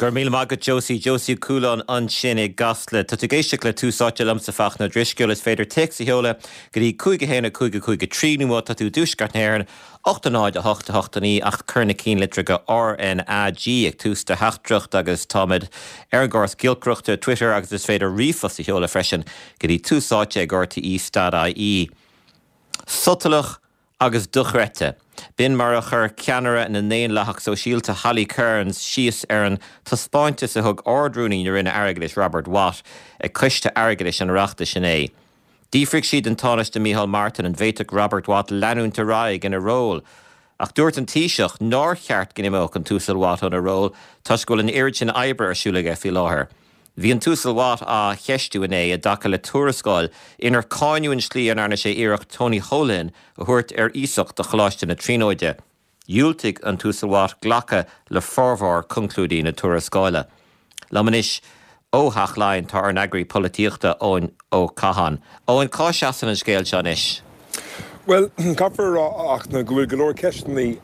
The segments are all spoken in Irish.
Go raibh míle maith agat Josie. Josie Ó Cualáin ansin i gCasla. Tá tú ag éisteacht le Tús Áite liomsa Fachtna Ó Drisceoil. Is féidir téacs a sheoladh go dtí 5 1 5 5 3 nó má tá tú i dTuaisceart na hÉireann, 8 0 8 8 9 ach cuir na cinnlitreacha RnaG ag tús do theachtaireacht agus táimid ar an gcóras giolcaireachta, Twitter agus is féidir ríomhphost a sheoladh freisin go dtí túsáite@rte.ie. Sotalach agus dochreidte. B'in mar a chuir ceannaire na nDaonlathach Sóisialta Holly Cairns síos ar an taispeántas a thug Ard-Rúnaí na Roinne Airgeadais Robert Watt ag Coiste Airgeadais an Oireachtais inné. D'fhiafraigh sí den Tánaiste Micheál Martin an bhféadfadh Robert Watt leanúint ar aghaidh ina ról. Ach dúirt an Taoiseach nár cheart go n-imeodh an tUasal Watt óna ról toisc go bhfuil an oiread sin oibre ar siúl aige faoi láthair. Bhí an tUasal Watt á cheistiú inné i dtaca le tuarascáil inar cáineadh an tslí a ndearna sé iarracht Tony Holohan a thabhairt ar iasacht do Choláiste na Tríonóide. Dhiúltaigh an tUasal Watt glacadh le formhór conclúidí na tuarascála. Liom anois ó Theach Laighean tá ár n-eagraí polaitíochta, Eoin Ó Catháin. Eoin, cá seasann an scéal seo anois? Bhuel, caithfear a rá, a Fhachtna, go bhfuil go leor ceisteanna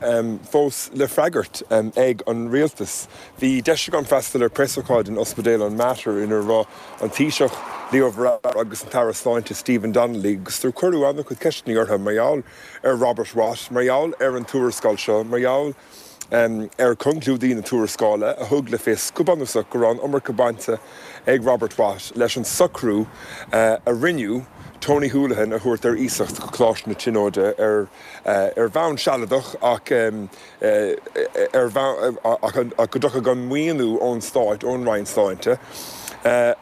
fós le freagairt ag an rialtas. Bhí deis agam freastal ar preasócáid in Ospidéal an Mater ina raibh an Taoiseach, Leo Varadkar agus an tAire Sláinte Stephen Donnelly agus do cuireadh an-chuid ceisteanna orthu mar gheall ar Robert Watt, mar gheall ar an tuarascáil seo, mar gheall ar chonclúidí na tuarascála a thug le fios go bunúsach go raibh an iomarca bainte ag Robert Watt leis an socrú a rinneadh Tony Holohan a thabhairt ar iasacht go Coláiste na Tríonóide ar ar bhonn sealadach ach ar bhonn ach go dtiocfadh an maoiniú ón Stát, ón Roinn Sláinte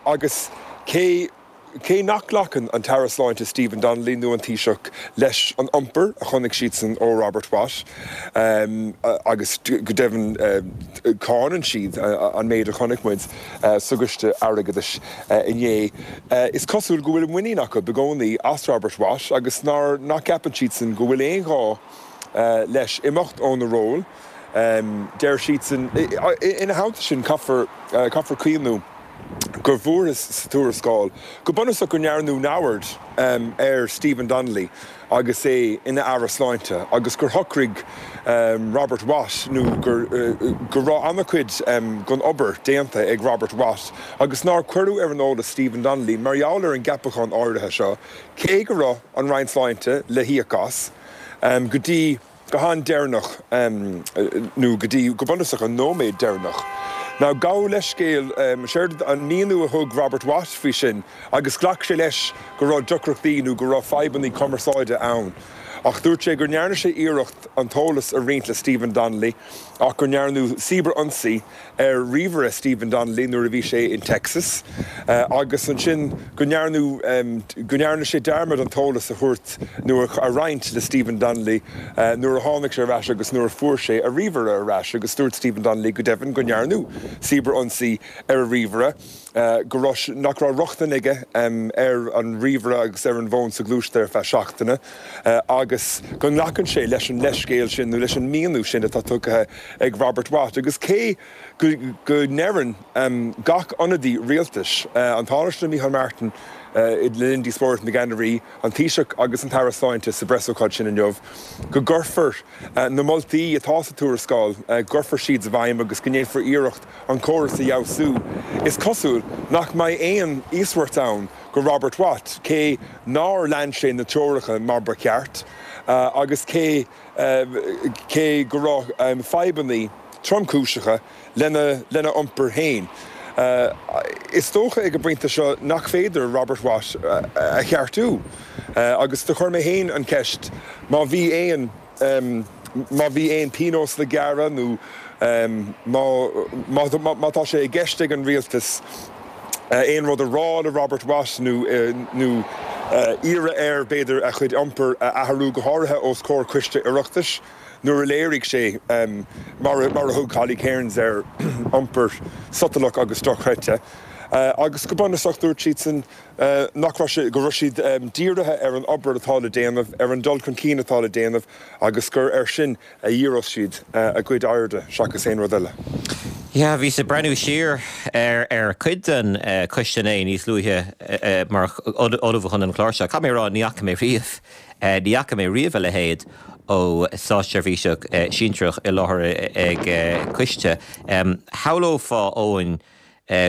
agus cé Cé nach nglacann an tAire Sláinte Stephen Donnelly nó an Taoiseach leis an iompar a chonaic siadsan ó Robert Watt, agus go deimhin cáineann siad an méid a chonaic muid sa gCoiste Airgeadais inné, is cosúil go bhfuil muinín acu i gcónaí as Robert Watt agus nach gceapann siadsan go bhfuil aon ghá leis imeacht óna ról. Deir siadsan, ina theannta sin, caithfear cuimhniú. go bhfuarthas sa tuarascáil go bunúsach go ndearnadh neamhaird ar Stephen Donnelly agus é ina Aire Sláinte agus gur shocraigh Robert Watt nó gur go raibh an-chuid den obair déanta ag Robert Watt agus nár cuireadh ar an eolas Stephen Donnelly mar gheall ar an gceapachán áirithe seo cé go raibh an Roinn Sláinte le híoc as go dtí go han-deireanach, nó go dtí, go bunúsach, an nóiméad deireanach. Now, gabh leithscéal, séard an míniú a thug Robert Watt faoi sin, agus ghlac sé leis go raibh deacrachtaí nó go raibh fadhbanna cumarsáide ann, ach dúirt sé go ndearna sé iarracht an t-eolas a roinnt le Stephen Donnelly ach go ndearnadh cibear-ionsaí ar ríomhaire Stephen Donnelly nuair a bhí sé in Texas agus ansin go ndearnadh go ndearna sé dearmad an t-eolas a thabhairt nó a roinnt le Stephen Donnelly nuair a tháinig sé ar ais agus nuair a fuair sé a ríomhaire ar ais agus dúirt Stephen Donnelly go deimhin go ndearnadh cibear-ionsaí ar a ríomhaire. go raibh, nach raibh rochtain aige ar an ríomhaire agus ar an bhfón soghluaiste ar feadh seachtaine agus go nglacann sé leis an leithscéal sin nó leis an míniú sin atá tugtha ag Robert Watt. Agus cé go ndeireann gach ionadaí rialtais, an Tánaiste Micheál Martin le linn díospóireacht na gceannairí, an Taoiseach agus an tAire Sláinte sa bpreasócáid sin inniu, go gcuirfear na moltaí atá sa tuarascáil, go gcuirfear siad i bhfeidhm agus go ndéanfar iarracht an córas a fheabhsú. Is cosúil nach mbeidh aon íosmhairt ann go Robert Watt, cé nár lean sé na treoracha mar ba cheart agus cé cé go raibh fadhbanna tromchúiseacha lena lena iompar féin. Is dócha ag an bpointe seo nach féidir Robert Watt a cheartú agus do chuir mé féin an cheist má bhí aon Má bhí aon pionós le gearradh nó má tá sé i gceist ag an rialtas aon rud a rá le Robert Watt nó iarraidh air, b'fhéidir, a chuid iompair a athrú, go háirithe os comhair coiste Oireachtais, nuair a léirigh sé, mar a thug Holly Cairns air, iompar sotalach agus dochreidte. Agus go bunúsach, dúirt siadsan, nach raibh sé, go raibh siad dírithe ar an obair atá le déanamh, ar an dul chun cinn atá le déanamh agus gur air sin a dhíreos siad a gcuid airde seachas aon rud eile. Yeah, bhíos ag breathnú siar ar ar cuid den choiste inné níos luaithe mar ullmhú chun an chláir seo. Caithfidh mé a rá, ní fhaca mé riamh, ní fhaca mé riamh a leithéid. ó státseirbhíseach sinsearach i láthair ag coiste. Shamhlófá, Eoin,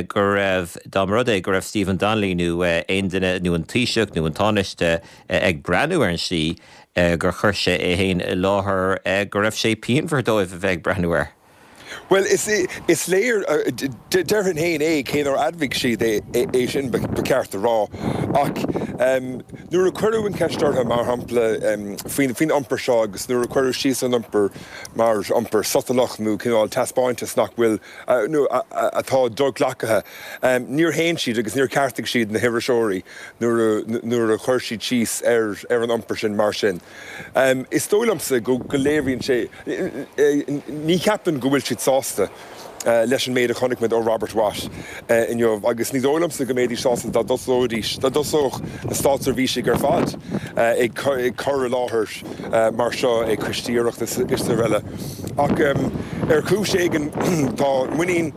go raibh, dá mba rud é go raibh Stephen Donnelly nó aon duine, nó an Taoiseach nó an Tánaiste ag breathnú ar an slí gur chuir sé é féin i láthair, go raibh sé pianmhar dóibh a bheith ag breathnú air. Bhuel, is léir, déarfainn féin é, cé nár admhaigh siad é sin, ba cheart a rá. Ach nuair a cuireadh an cheist orthu, mar shampla, faoin iompar seo agus nuair a cuireadh síos an iompar mar iompar sotalach nó cineál taispeántas nach bhfuil, nó atá do-ghlactha, níor shéan siad agus níor cheartaigh siad na hiriseoirí nuair a chuir siad síos ar an iompar sin mar sin. Is dóigh liomsa go léiríonn sé, ní cheapaim go bhfuil siad sásta leis an méid a chonaic muid ó Robert Watt inniu agus ní dóigh liomsa go mbeidís sásta dá dtosóidís, dá dtosódh na státseirbhísigh ar fad ag cur i láthair mar seo ag coistí Oireachtais is araile. Ach ar chúis éigin tá muinín,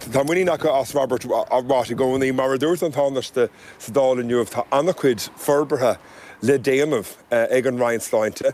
tá muinín acu as Robert Watt i gcónaí. Mar a dúirt an Tánaiste sa Dáil inniu, tá an-chuid forbartha le déanamh ag an Roinn Sláinte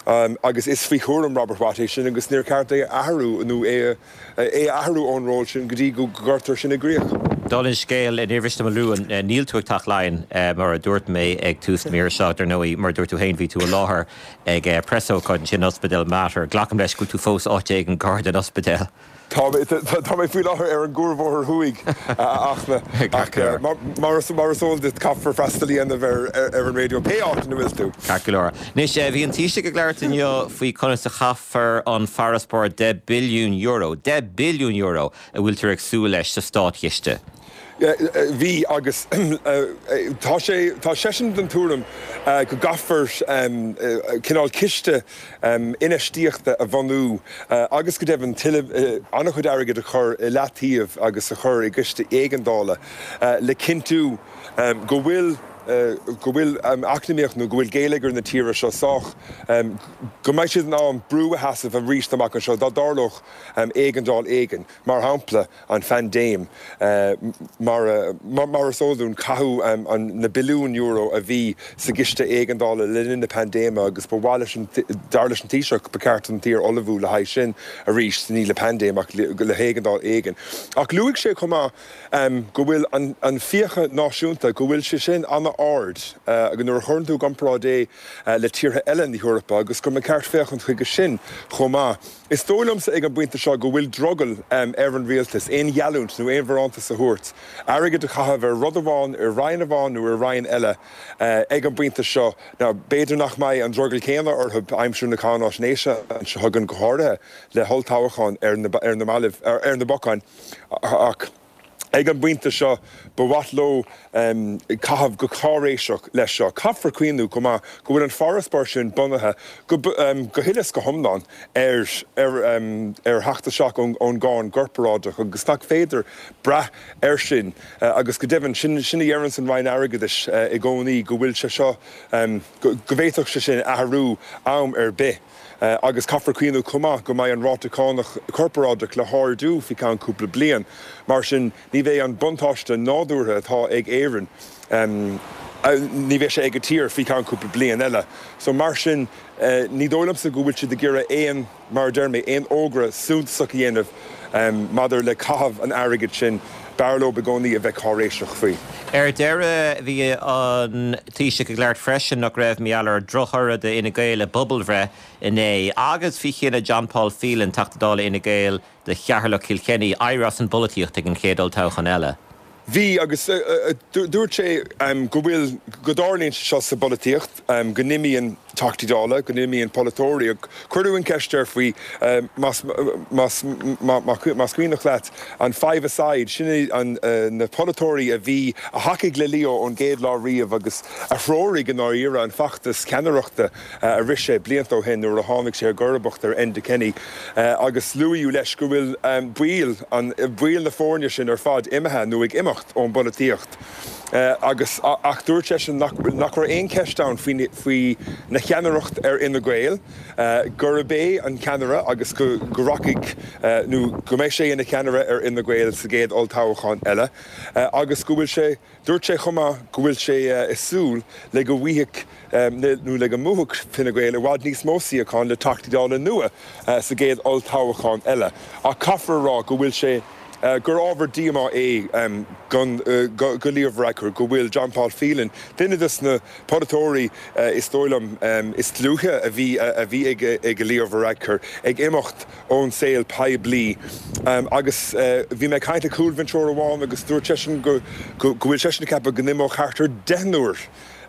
agus is faoi chúram Robert Watt é sin agus níor cheart é a athrú nó é a athrú ón ról sin go dtí go gcuirtear sin i gcrích. Dála an scéil, níor mhiste dom a lua, níl tú ag Teach Laighean, mar a dúirt mé ag tús na míre seo. Dar ndóigh, mar a dúirt tú féin, bhí tú i láthair ag preasócáid ansin in Ospidéal Mater. Glacaim leis go bhfuil tú fós áit éigin gar don ospidéal. Tá mé faoi láthair ar an gCuarbhóthar Thuaidh, a Fhachtna, ach mar is eol duit, caithfear freastal a dhéanamh ar an raidió pé áit ina bhfuil tú. Ceart go leor. Anois, bhí an Taoiseach ag labhairt inniu faoi conas a chaithfear an farasbarr €10 billiún, €10 billiún, a bhfuiltear ag súil leis sa státchiste. Bhí, agus tá sé, tá seisean den tuairim go gcaithfear cineál ciste infheistíochta a bhunú agus go deimhin tuilleadh, an-chuid airgid a chur i leataobh agus a chur i gciste éigeandála le cinntiú go bhfuil, go bhfuil eacnamaíocht nó go bhfuil géilleagar na tíre seo sách, go mbeidh siad in ann brú a sheasamh arís amach anseo dá dtarlódh éigeandáil éigin, mar shampla. an phaindéim. Mar is eol dúinn, caitheadh na billiúin euro a bhí sa gciste éigeandála le linn na paindéime agus ba mhaith leis an, dar leis an Taoiseach, ba cheart don tír ullmhú le haghaidh sin arís, ní le paindéim ach le héigeandáil éigin. Ach luaigh sé chomh maith go bhfuil an fiacha náisiúnta, go bhfuil sé sin an-ard nuair a chuireann tú i gcomparáid é le tíortha eile na hEorpa agus go mba cheart féachaint chuige sin chomh maith. Is dóigh liomsa ag an bpointe seo go bhfuil drogall ar an rialtas aon gheallúint nó aon bharántas a thabhairt, airgead a chaitheamh ar rud amháin, ar roinn amháin nó ar roinn eile ag an bpointe seo. Now, b'fhéidir nach mbeidh an drogall céanna orthu aimsir na cáináisnéise seo chugainn, go háirithe le holltoghchán ar na mallaibh, ar na bacáin, ach. Ag an bpointe seo, ba mhaith leo caitheamh go cáiréiseach leis seo. Caithfear cuimhniú chomh maith go bhfuil an farasbarr sin bunaithe go huile is go hiomlán ar ar theacht isteach ón gcáin chorparáideach agus nach féidir brath air sin agus go deimhin, sin a dheireanns an Roinn Airgeadais i gcónaí, go bhfuil sé seo, go bhféadfadh sé sin athrú am ar bith. Agus caithfear cuimhniú chomh maith go mbeidh an ráta cánach corparáideach le hardú faoi cheann cúpla bliain. Mar sin, ní bheidh an buntáiste nádúrtha atá ag Éirinn, ní bheidh sé ag an tír faoi cheann cúpla bliain eile. So mar sin, ní dóigh liomsa go bhfuil siad ag iarraidh aon, mar a deir mé, aon fhógra suntasach a dhéanamh maidir le caitheamh an airgid sin. B'fhearr leo i gcónaí a bheith cáiréiseach faoi. Ar deireadh, bhí an Taoiseach ag labhairt freisin nach raibh mar gheall ar dhrochthoradh d'Fhine Gael i bpobalbhreith inné agus faoi chinneadh John Paul Phelan, Teachta Dála Fhine Gael do Cheatharlach Chill Chainnigh, éirí as an bpolaitíocht ag an chéad olltoghchán eile. Bhí, agus dúirt sé go bhfuil, go dtarlaíonn sé seo sa bpolaitíocht, go n-imíonn Teachtaí Dála, go n-imíonn polaiteoirí. Cuireadh an cheist air faoi, más, más, más cuimhneach leat, an five-a-side, sin é na polaiteoirí a bhí, a thacaigh le Leo ón gcéad lá riamh agus a threoraigh i ndáiríre an feachtas ceannaireachta a rith sé blianta ó shin nuair a tháinig sé i gcomharbacht ar Enda Kenny agus luadh leis go bhfuil baill an, baill na foirne sin ar fad imithe nó ag imeacht ón bpolaitíocht. Agus, ach dúirt seisean nach nach raibh aon cheist ann faoi faoi na cheannaireacht ar Fhine Gael, gurb é an ceannaire agus go go rachaidh nó go mbeidh sé ina cheannaire ar Fhine Gael sa gcéad olltoghchán eile agus go bhfuil sé Dúirt sé chomh maith go bhfuil sé ag súil le go bhfaighidh nó le go mbuafadh Fine Gael i bhfad níos mó suíochán le Teachtaí Dála nua sa gcéad olltoghchán eile ach caithfear a rá go bhfuil sé gur ábhar díomá é do Leo Varadkar go bhfuil John Paul Phelan, duine de na polaiteoirí is dóigh liom is dlúithe a bhí a bhí ag Leo Varadkar, ag imeacht ón saol poiblí agus bhí mé ag caint le cúlbhinseoir amháin agus dúirt seisean go go bhfuil seisean ag ceapadh go n-imeodh thart ar deichniúr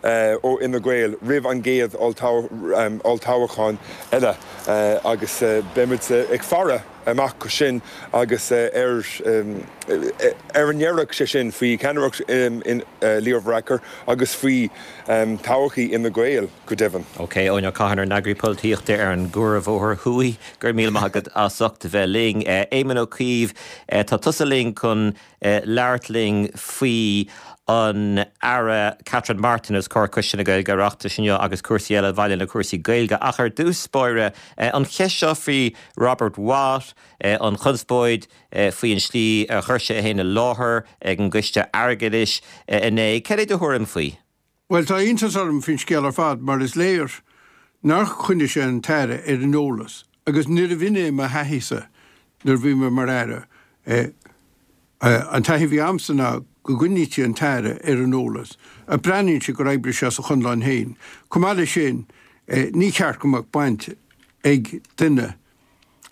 ó Fhine Gael roimh an gcéad olltoghchán eile agus beimid ag faire amach go sin agus ar ar a ndéarfaidh sé sin faoi cheannaireacht Leo Varadkar agus faoi todhchaí Fhine Gael. go deimhin. OK, Eoin Ó Catháin, ár n-eagraí polaitíochta ar an gCuarbhóthar Thuaidh, go raibh míle maith agat as ucht a bheith linn. Éamon Ó Cuív, tá tusa linn chun labhairt linn faoi an Aire Catherine Martin os comhair Coiste na Gaeilge Oireachtais inniu agus cúrsaí eile a bhaineann le cúrsaí Gaeilge. Ach ar dtús báire, an cheist seo faoi Robert Watt, an chonspóid faoi an slí a chuir sé é féin i láthair ag an gCoiste Airgeadais inné, cad é do thuairim faoi? Bhuel, tá iontas orm faoin scéal ar fad mar is léir nár choinnigh sé an tAire ar an eolas agus níorbh in é mo thaithísa nuair a bhí mé mar Aire. An taithí a bhí a'msa ná go gcoinnítí an tAire ar an eolas ach breathnaíonn sé gur oibrigh sé as a chonlán féin. Chomh maith leis sin, ní cheart go mbeadh baint ag duine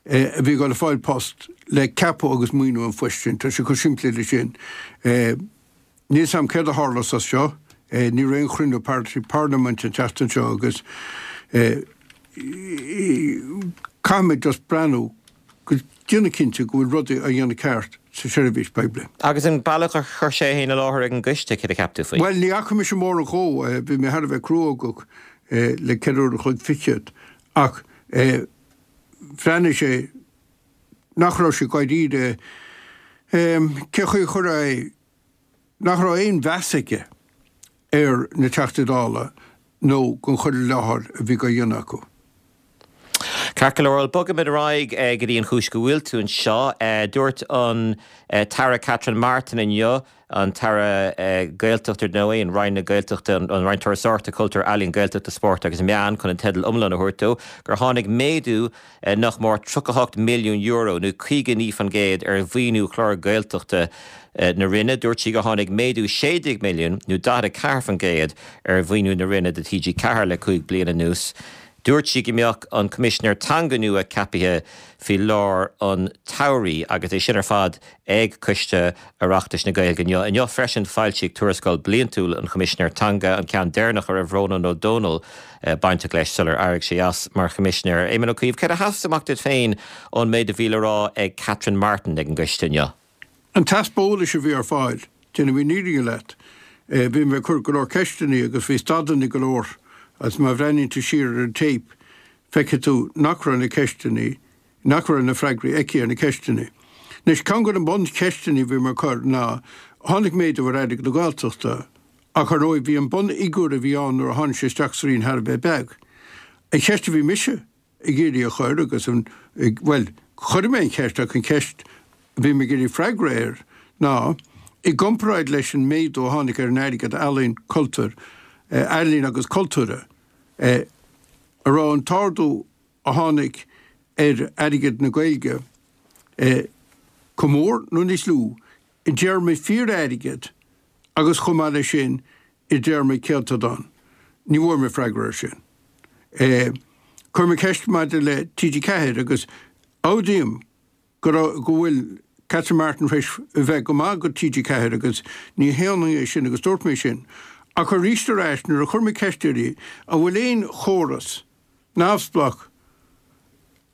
a bhí ag dul a fáil post le ceapadh agus maoiniú an phoist sin. Tá sé chomh simplí leis sin. Níl 'fhios a'm céard a tharlós as seo. Ní raibh aon chruinniú parlaiminte an tseachtain seo agus caithfimid just breathnú go déanamh cinnte go bhfuil rudaí á dhéanamh ceart sa seirbhís poiblí. Agus an bealach ar chuir sé é féin i láthair ag an gcoiste, céard a cheap tú faoi? Bhuel, ní fhaca mise mórán dhó. Bhí mé thar a bheith cruógach le ceithre uair a chloig fichead ach bhreathnaigh sé nach raibh sé dáiríre. Cé chaoi a chuirfeá é? Nach raibh aon mheas aige ar na Teachtaí Dála nó don chur i láthair a bhí á dhéanamh acu. Ceart go leor, bhuel bogfaimid ar aghaidh go dtí an chúis go bhfuil tú anseo. Dúirt an tAire Catherine Martin inniu an tAire Gaeltachta, ar ndóigh, an Roinn na Gaeltachta, an Roinn Turasóireachta, Cultúir, Ealaíon, Gaeltachta, Spóirt agus Meán, chun an teideal iomlán a thabhairt dó, gur tháinig méadú nach mór €38 milliún, nó 59%, ar mhaoiniú chlár Gaeltachta na Roinne. Dúirt sí gur tháinig méadú 16 milliún, nó 44%, ar mhaoiniú na Roinne do TG4 le cúig bliana anuas. Dúirt sí go mbeadh an Coimisinéir Teanga nua ceaptha faoi lár an tsamhraidh agus é sin ar fad ag Coiste Oireachtais na Gaeilge inniu. Inniu freisin foilsíodh Tuarascáil Bliantúil an Choimisinéir Teanga, an ceann deireanach a raibh Rónán Ó Domhnaill bainteach leis sular éirigh sé as mar Choimisinéir. Éamon Ó Cuív, céard a sheas amach duit féin ón méid a bhí le rá ag Catherine Martin ag an gcoiste inniu? An t-easpa eolais a bhí ar fáil, déanfaidh mé an fhírinne leat, bhí mé ag cur go leor ceisteanna agus bhí stadanna go leor agus má bhreathnaíonn tú siar ar an téip feicfidh tú nach raibh na ceisteanna, nach raibh na freagraí aici ar na ceisteanna. Anois, ceann de na buncheisteanna a bhí mé ag cur ná, tháinig méadú ar airgead na Gaeltachta ach ar ndóigh bhí an bunfhigiúr a bhí ann nuair a tháinig sé isteach sa Roinn thar a bheith beag. An cheist a bhí mise ag iarraidh a chur agus an, bhuel, chuir mé an cheist ach an cheist a bhí mé ag iarraidh freagra air ná, i gcomparáid leis an méadú a tháinig ar an airgead ealaíon, cultúr, ealaíon agus cultúrtha, an raibh an t-ardú a tháinig ar airgead na Gaeilge chomh mór nó níos lú i dtéarmaí fíor-airgid agus chomh maith leis sin i dtéarmaí céatadán? Ní bhfuair mé freagra air sin. Chuir mé ceist maidir le TG4 agus admhaím go raibh, go bhfuil Catherine Martin tar éis a bheith go maith go TG4 agus ní shéanfainn é sin agus dúirt mé sin. Ach arís ar ais nuair a chuir mé ceist uirthi an bhfuil aon chóras neamhspleách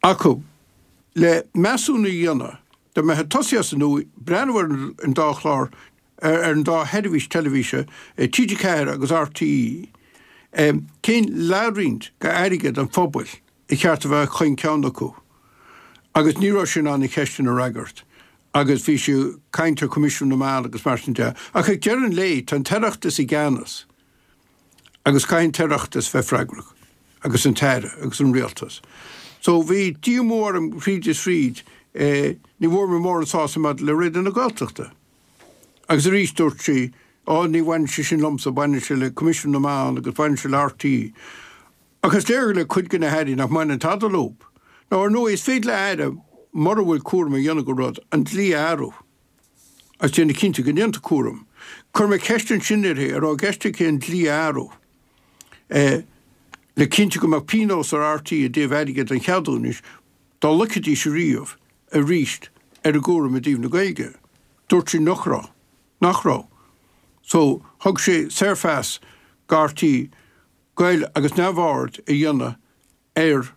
acu le measúnú a dhéanamh, dá mbeifeá ag tosaí as an nua, breathnú ar an dá chlár ar an dá sheirbhís teilifíse, TG4 agus RTÉ, cén leathroinnt d'airgead an phobail a cheart a bheith chaon ceann acu? Agus ní raibh sí in ann an cheist sin a fhreagairt. Agus bhí sí ag caint ar Choimisiún na Meán agus mar sin de. Ach ag deireadh an lae, tá an tOireachtas i gceannas agus caithfidh an tOireachtas bheith freagrach, agus an tAire agus an Rialtas. So bhí díomá orm thríd is thríd, ní bhfuair mé mórán sásamh maidir le Raidió na Gaeltachta. Agus arís dúirt sí, Á, ní bhaineann sé sin liomsa, baineann sé le Coimisiún na Meán agus baineann sé le RTÉ. Ach is léir le cuid de na hairí nach mbaineann tada leo. Nó ar ndóigh, is féidir le aire, mura bhfuil cúram a dhéanamh de rud, an dlí a athrú agus déanamh cinnte go ndéantar cúram. Chuir mé ceist ansin uirthi, an raibh i gceist aici an dlí a athrú le cinntiú go mbeadh pionós ar RTÉ i dtaobh airgead an cheadúnais dá loicfidís ariamh arís ar a gcúram i dtaobh na Gaeilge. Dúirt sí nach raibh. Nach raibh. So, thug sé saorphas do RTÉ goil agus neamhaird a dhéanamh ar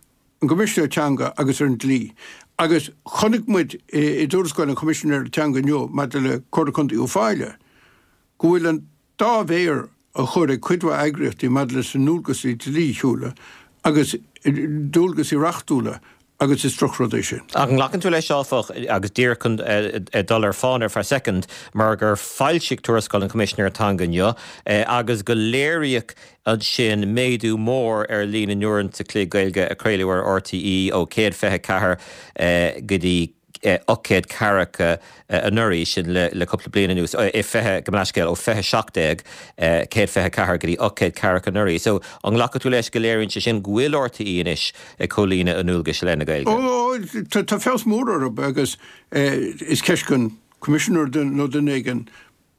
an gCoimisinéir Teanga agus ar an dlí. Agus chonaic muid i dtuarascáil an Choimisinéara Teanga inniu maidir le Comhairle Contae Uíbh Fhailí go bhfuil an dá mhéar á chur ag cuid mhaith eagraíochtaí maidir leis na ndualgaisí dlíthiúla agus dualgaisí reachtúla agus is drochrud é sin. Ach an nglacann tú leis, áfach, agus díreach chun dul ar fán ar feadh soicind, mar gur foilsíodh tuarascáil an Choimisinéara Teanga inniu agus go léiríodh ansin méadú mór ar líon na n-uaireanta chloig Gaeilge a craoladh ar RTÉ ó 124 go dtí 800 ceathracha anuraidh, sin le cúpla bliain anuas, i 20, gabh mo leithscéal, ó 2017, 124 go dtí 800 ceathracha anuraidh. So, an nglacfaidh tú leis go léiríonn sé sin go bhfuil RTÉ anois ag comhlíonadh a ndualgais i leith na Gaeilge? Ó, tá feabhas mór orthu agus is ceist don Choimisinéir nó duine éigin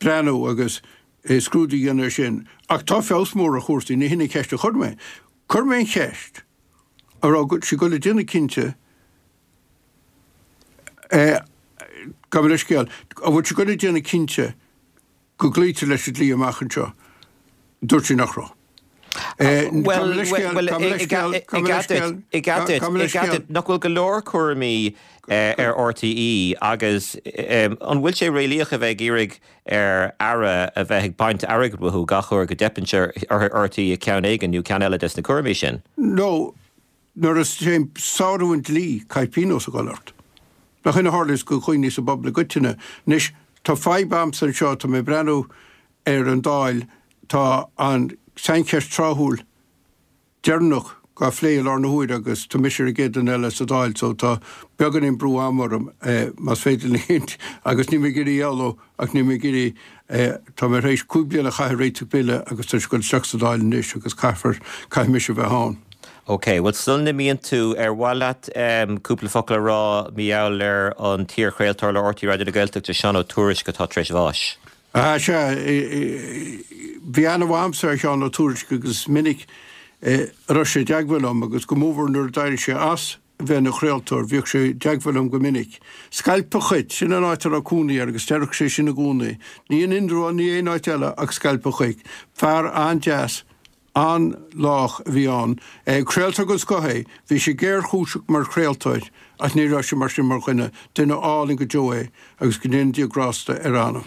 breathnú agus scrúdú a dhéanamh air sin. Ach tá feabhas mór ar chúrsaí, ní hin an cheist a chuir mé. Chuir mé an cheist, an raibh sí ag dul a déanamh cinnte Gabh mo leithscéal. An bhfuil sí ag dul a déanamh cinnte go gcloítear leis an dlí amach anseo? Dúirt sí nach raibh. Gabh mo leithscéal, gabh mo leithscéal, gabh mo leithscéal, gabh mo leithscéal. Nach bhfuil go leor cúraimí ar RTÉ agus an bhfuil sé réalaíoch a bheith ag iarraidh ar Aire a bheith ag baint airgid uathu gach uair go dteipeann sé ar RTÉ i gceann éigin nó ceann eile des na cúraimí sin? No. Nuair a théann sárú an dlí, caithfidh pionós a dhul ort. Nach in a tharlaíos do dhaoine sa bpobal i gcoitinne. Anois, tá fadhb a'msa anseo, tá mé ag breathnú ar an Dáil, tá an tsaincheist tráthúil deireanach dhá phlé i lár na huaire agus tá mise ar an gcéad duine eile sa Dáil so tá beagáinín brú ama orm, más féidir linn, agus níl mé ag iarraidh éalú ach níl mé ag iarraidh, tá mé tar éis 5 bliana a chaitheamh ag réiteach bille agus tá sé ag dul isteach sa Dáil anois agus caithfear, caithfidh mise a bheith ann. Ok, bhuel sula n-imíonn tú, ar mhaith leat cúpla focal a rá mar gheall ar an t-iar-chraoltóir le RTÉ Raidió na Gaeltachta, Seán Ó Tuairisg atá tar éis bháis? Ah, sea, bhí aithne mhaith a'msa ar Sheán Ó Tuairisg agus is minic a raibh sé i dteagmháil liom agus go mórmhór nuair a d'éirigh sé as a bheith ina chraoltóir, bhíodh sé i dteagmháil liom go minic. Scailp a' Chait, sin an áit a raibh cónaí air agus deireadh sé sin i gcónaí. Ní in Indreabhán, ní aon áit eile ach Scailp a' Chait. Fear an-deas An-lách a bhí ann. Craoltóir den scoth é. Bhí sé géarchúiseach mar chraoltóir ach ní raibh sé mar sin mar dhuine. Duine álainn go deo é agus go ndéana Dia grásta ar a anam.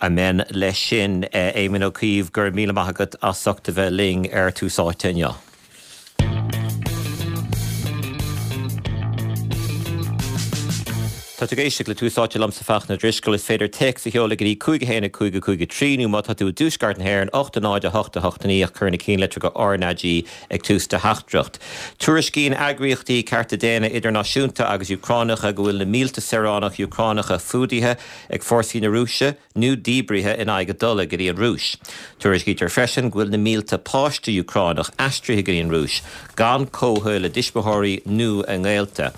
Amen leis sin. Éamon Ó Cuív, go raibh míle maith agat as ucht a bheith linn ar Tús Áite inniu. Tá tú ag éisteacht le Tús Áite liomsa Fachtna Drisceoil. Is féidir téacs a sheoladh go dtí 5 1 5 5 3 nó má tá tú i dtuaisceart na hÉireann 8 0 8 8 9 ach cuir na cinnlitreacha RnaG ag tús do theachtaireacht. Tuairiscíonn eagraíochtaí cearta daonna idirnáisiúnta agus Úcránacha go bhfuil na mílte saoránach Úcránacha fuadaithe ag fórsaí na Rúise, nó díbrithe in aghaidh a dtola go dtí an Rúis. Tuairiscítear freisin go bhfuil na mílte páiste Úcránach aistrithe go dtí an Rúis gan comhthoil a dtuismitheoirí nó a ngaolta.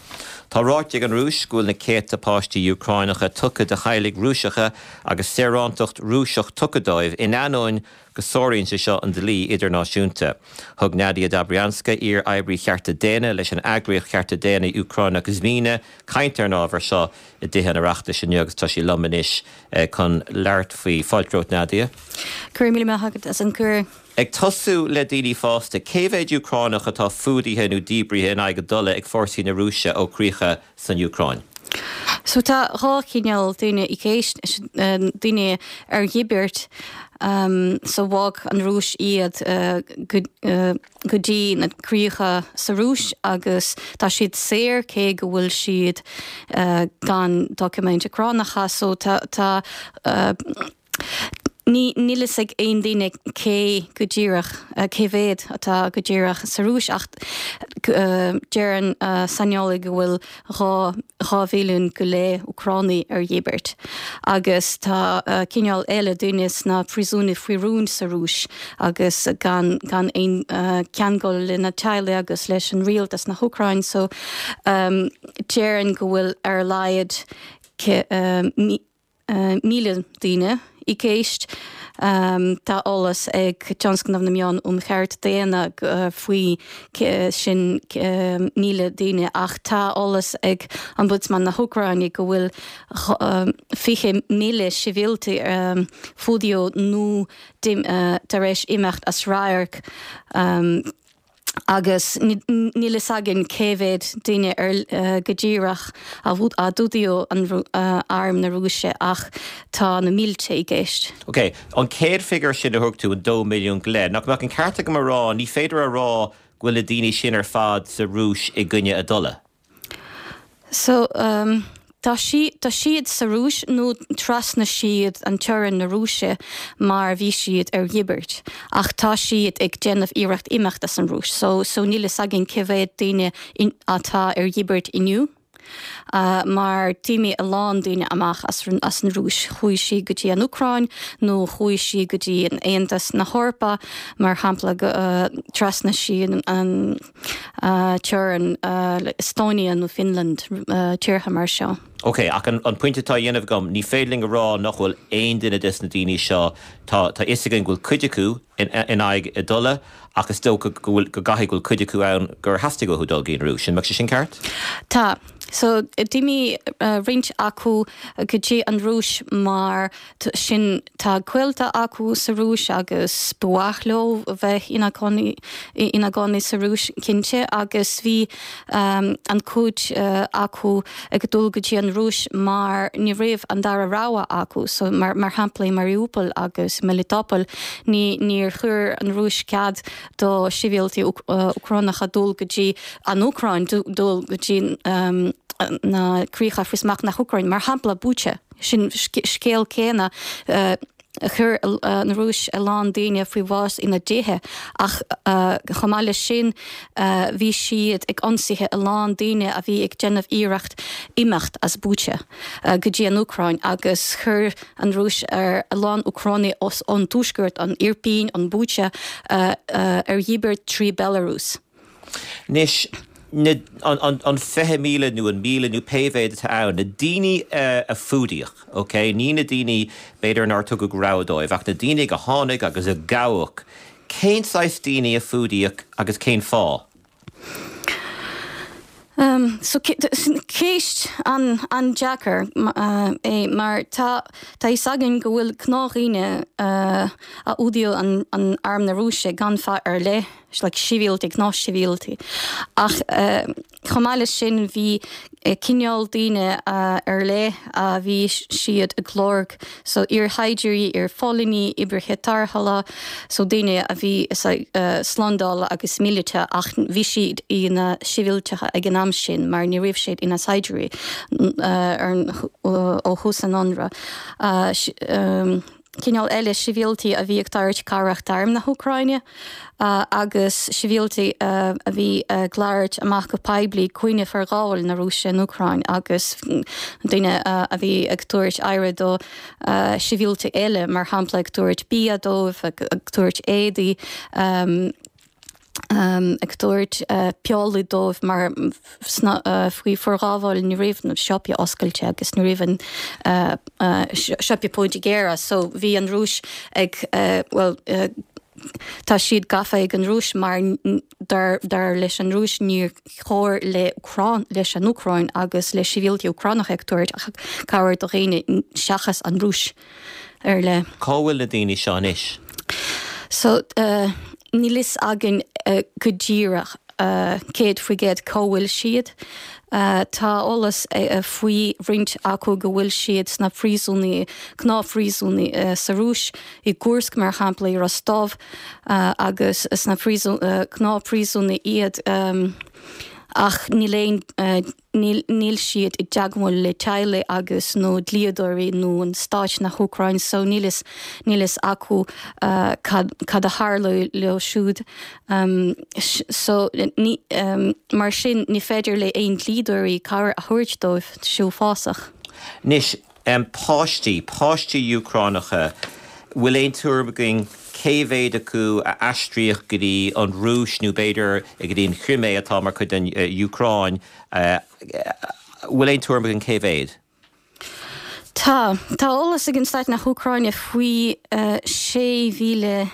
Tá ráite ag an Rúis go bhfuil na céadta páistí Úcránacha tugtha do theaghlaigh Rúiseacha agus saorántacht Rúiseach tugtha dóibh in ainneoin go sáraíonn sé seo an dlí idirnáisiúnta. Thug Nadia Dobrianska, iar-oibrí chearta daonna leis an eagraíocht chearta daonna Úcránach Zmina, caint ar an ábhar seo i dTithe an Oireachtais inniu agus tá sí liom anois chun labhairt faoi. Fáilte romhat Nadia. Go raibh míle maith agat as an gcuireadh. Ag tosú le daoine fásta, cé mhéid Úcránach atá fuadaithe nó díbrithe in aghaidh a dtola ag fórsaí na Rúise ó chríocha san Úcráin? So tá dhá chineál daoine i gceist, daoine ar dhíbirt. So bhog an Rúis iad go go dtí na críocha sa Rúis agus tá siad saor cé go bhfuil siad gan doiciméid Úcránacha. So tá tá ní níl fhios ag aon duine cé go díreach cé mhéad atá go díreach sa Rúis ach deireann saineolaithe go bhfuil 2 mhilliún go leith Úcránaigh ar dhíbirt agus tá cineál eile daoine sna príosúin faoi rún sa Rúis agus gan gan aon ceangal lena teaghlaigh agus leis an rialtas na hÚcráin so déarfainn go bhfuil ar a laghad 1,000 daoine i gceist. Tá eolas ag Tionscnamh na Meán um Chearta Daonna faoi sin 1,000 daoine ach tá eolas ag Ombudsman na hÚcráine go bhfuil 20,000 sibhialtaigh fuadaíodh nó tar éis imeacht as radharc. agus níl fhios againn cé mhéad duine ar go díreach a d'fhuadaíodh an arm na Rúise ach tá na mílte i gceist. Ok, an chéad figiúr sin a thug tú, an 2 milliún go leith, nach mbeadh an ceart agam a rá, ní féidir a rá go bhfuil na daoine sin ar fad sa Rúis i gcoinne a dtola? So, tá tá siad sa Rúis nó trasna siad an teorainn na Rúise mar bhí siad ar dhíbirt. Ach tá siad ag déanamh iarracht imeacht as an Rúis. So, so níl fhios againn cé mhéad daoine atá ar dhíbirt inniu. Mar d'imigh a lán daoine amach as as an Rúis. Chuaigh siad go dtí an Úcráin nó chuaigh siad go dtí an Aontas na hEorpa, mar shampla, trasna siad an. teorainn le Estonia nó Finland, tíortha mar seo. Ok, ach an pointe atá á dhéanamh agam, ní féidir linn a rá nach bhfuil aon duine des na daoine seo, tá tá fhios againn go bhfuil cuid acu in in aghaidh a dtola, ach is dócha go bhfuil, go gcaithfidh go bhfuil cuid acu ann gur theastaigh uathu dul go dtí an Rúis. An mbeadh sé sin ceart? Tá. So, d'imigh roinnt acu go dtí an Rúis mar sin tá gaolta acu sa Rúis agus ba mhaith leo bheith ina gcónaí ina gcónaí sa Rúis cinnte agus bhí an cuid acu ag dul go dtí an Rúis mar ní raibh an dara rogha acu so mar mar shampla i Mariupol agus Melitopol ní níor chuir an Rúis cead do shibhialtaigh Úcránacha dul go dtí an Úcráin dul go dtí na críocha faoi smacht na hÚcráine mar shampla Bucha. Sin scéal céanna. Chuir an Rúis a lán daoine faoi bhás ina dtithe ach chomh maith leis sin bhí siad ag ionsaithe a lán daoine a bhí ag déanamh iarracht imeacht as Bucha go dtí an Úcráin agus chuir an Rúis ar a lán Úcránaigh ón tuaisceart, an Irpin, an Bucha, ar dhíbirt trí Belarus. Anois, na, an, an 20,000 nó an 1,000 nó pé mhéad atá ann, na daoine a fuadaíodh, ok, ní na daoine b'fhéidir nár tugadh rogha dóibh, ach na daoine a tháinig agus a gabhadh, cén saghas daoine a fuadaíodh agus cén fáth? So, ceist an-deacair é mar tá tá fhios againn go bhfuil gnáthdhaoine a fhuadaíodh an arm na Rúise gan fáth ar leith. like sibhialtaigh, gnáthshibhialtaigh. Ach chomh maith leis sin bhí cineál daoine ar leith a bhí siad ag lorg, so iar-shaighdiúirí, iar-phóilíní, oibrithe tarrthála, so daoine a bhí slándála agus míleata ach bhí siad ina sibhialtacha ag an am sin mar ní raibh siad ina saighdiúirí ó thús an ionradh. Cineál eile sibhialtaigh a bhí ag tabhairt cabhrach d'arm na hÚcráine agus sibhialtaigh a bhí ag labhairt amach go poiblí i gcoinne forghabháil na Rúise an Úcráin agus daoine a bhí ag tabhairt aire do shibhialtaigh eile, mar shampla ag tabhairt bia dóibh, ag tabhairt éadaí. ag tabhairt piollaí dóibh mar faoi forghabháil ní raibh na siopaí oscailte agus ní raibh an siopaí pointí géara so bhí an Rúis ag bhuel tá siad gafa ag an Rúis mar dar dar leis an Rúis níor chóir le Úcráin leis an Úcráin agus le sibhialtaigh Úcránacha ag tabhairt cabhair do dhaoine seachas an Rúis. ar leith. Cá bhfuil na daoine seo anois? So, níl fhios againn go díreach. 100% cá bhfuil siad. Tá eolas faoi roinnt acu go bhfuil siad sna phríosúnaí, gnáthphríosúnaí sa Rúis, i gCursk mar shampla, i Rostov agus sna gnáthphríosúnaí iad ach níl aon Níl siad i dteagmháil le teaghlaigh agus nó dlíodóirí nó an stáit na hÚcráin so níl fhios níl fhios acu cad cad a tharla leo siúd. So ní mar sin ní féidir le aon dlíodóirí cabhair a thabhairt dóibh sé uafásach. Anois, páistí, páistí Úcránacha, bhfuil aon tuairim againn cé mhéad acu a aistríodh go dtí an Rúis nó b'fhéidir go dtí an Chrimé atá mar chuid den Úcráin? Bhfuil aon tuairim againn cé mhéad? Tá. Tá eolas ag an Stát na hÚcráine faoi 16,000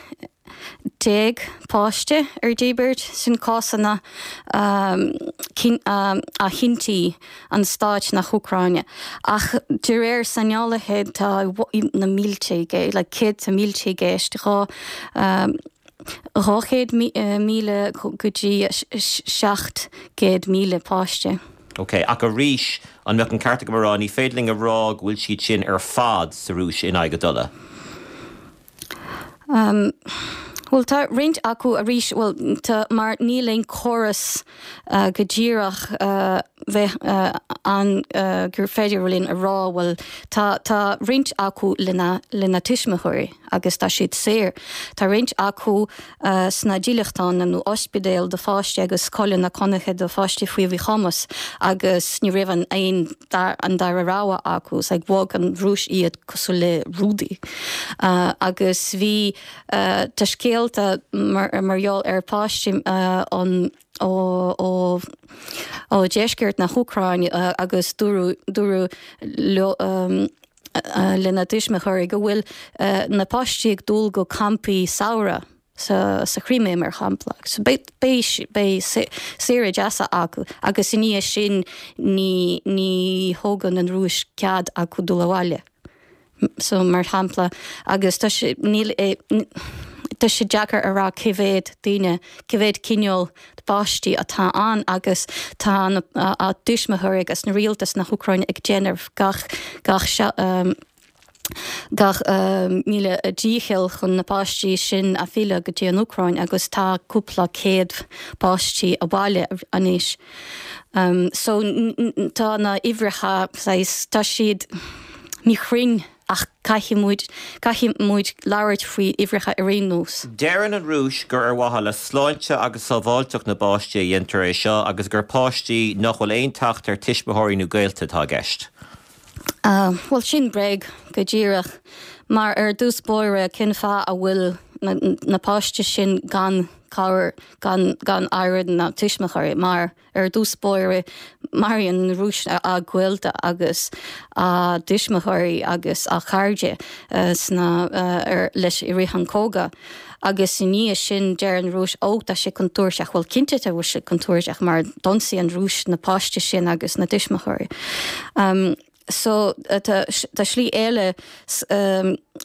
páiste ar díbirt, sin cásanna a chinntigh an stáit na hÚcráine. Ach de réir saineolaithe tá na mílte i gceist, like céadta mílte i gceist, 200,000 go dtí 700,000 páiste. Ok, ach arís, an mbeadh an ceart agam a rá, ní féidir linn a rá go bhfuil siad sin ar fad sa Rúis in aghaidh a dtola? Bhuel, tá roinnt acu arís, bhuel, tá, mar níl aon córas go díreach bheith ann gur féidir linn a rá, bhuel, tá, tá roinnt acu lena, lena tuismitheoirí agus tá siad saor. Tá roinnt acu sna dílleachtáin nó ospidéil do pháistí agus scoileanna cónaithe do pháistí faoi mhíchumas agus ní raibh an aon an dara rogha acu. It's like bhog an Rúis iad cosúil le rudaí. Agus bhí tá scéalta mar mar gheall ar pháistí ón ó ó ó dheisceart na hÚcráine agus dúradh dúradh leo lena dtuismitheoirí go bhfuil na páistí ag dul go campaí samhraidh sa sa Chrimé mar shampla. So beidh beidh beidh saoire deasa acu agus i ndiaidh sin ní ní thógann an Rúis cead acu dul abhaile. So mar shampla agus tá sé níl é tá sé deacair a rá cé mhéad daoine cé mhéad cineál páistí atá ann agus tá na a dtuismitheoirí agus na rialtas na hÚcráine ag déanamh gach gach gach míle dícheall chun na páistí sin a fhilleadh go dtí an Úcráin agus tá cúpla céad páistí abhaile anois. So tá na uimhreacha saghas tá siad míchruinn ach caithfidh muid caithfidh muid labhairt faoi uimhreacha ar aon nós. Deireann an Rúis gur ar mhaithe le sláinte agus sábháilteacht na bpáistí a dhéantar é seo agus gur páistí nach bhfuil aon teacht ar tuismitheoirí nó gaolta atá i gceist. Bhuel, sin bréag go díreach, mar ar dtús báire, cén fáth a bhfuil na páistí sin gan cabhair, gan gan aire na tuismitheoirí, mar ar dtús báire, maraíonn an Rúis a gaolta agus a dtuismitheoirí agus a chairde sna ar leis i rith an cogadh. Agus i ndiaidh sin deir an Rúis, Ó, tá sé contúirteach. Bhuel, cinnte tá sé contúirteach mar d'ionsaigh an Rúis na páistí sin agus na tuismitheoirí. So, tá slí eile,